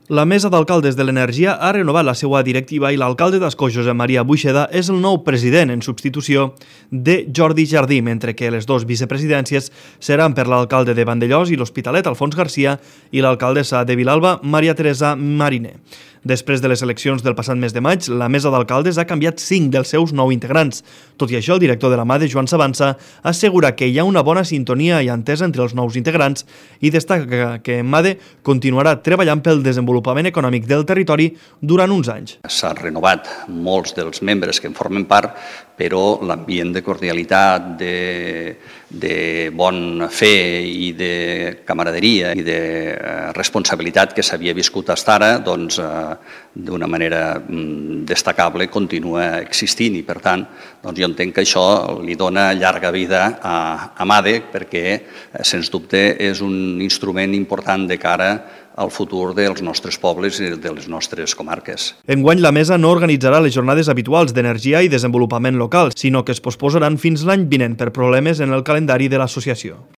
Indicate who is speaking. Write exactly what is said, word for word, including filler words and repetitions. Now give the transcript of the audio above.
Speaker 1: La Mesa d'Alcaldes de l'Energia ha renovat la seva directiva i l'alcalde d'Ascó, Josep Maria Buixeda, és el nou president en substitució de Jordi Jardí, mentre que les dues vicepresidències seran per l'alcalde de Vandellòs i l'Hospitalet, Alfons Garcia, i l'alcaldessa de Vilalba, Maria Teresa Mariner. Després de les eleccions del passat mes de maig, la Mesa d'Alcaldes ha canviat cinc dels seus nou integrants. Tot i això, el director de la MADE, Joan Sabanza, assegura que hi ha una bona sintonia i entesa entre els nous integrants i destaca que MADE continuarà treballant pel desenvolupament econòmic del territori durant uns anys.
Speaker 2: S'han renovat molts dels membres que en formen part, però l'ambient de cordialitat, de, de bon fer i de camaraderia i de responsabilitat que s'havia viscut fins ara, doncs, d'una manera destacable continua existint i, per tant, doncs jo entenc que això li dona llarga vida a, a MADE perquè, sens dubte, és un instrument important de cara al futur dels nostres pobles i de les nostres comarques.
Speaker 1: Enguany, la Mesa no organitzarà les jornades habituals d'energia i desenvolupament local, sinó que es posposaran fins l'any vinent per problemes en el calendari de l'associació.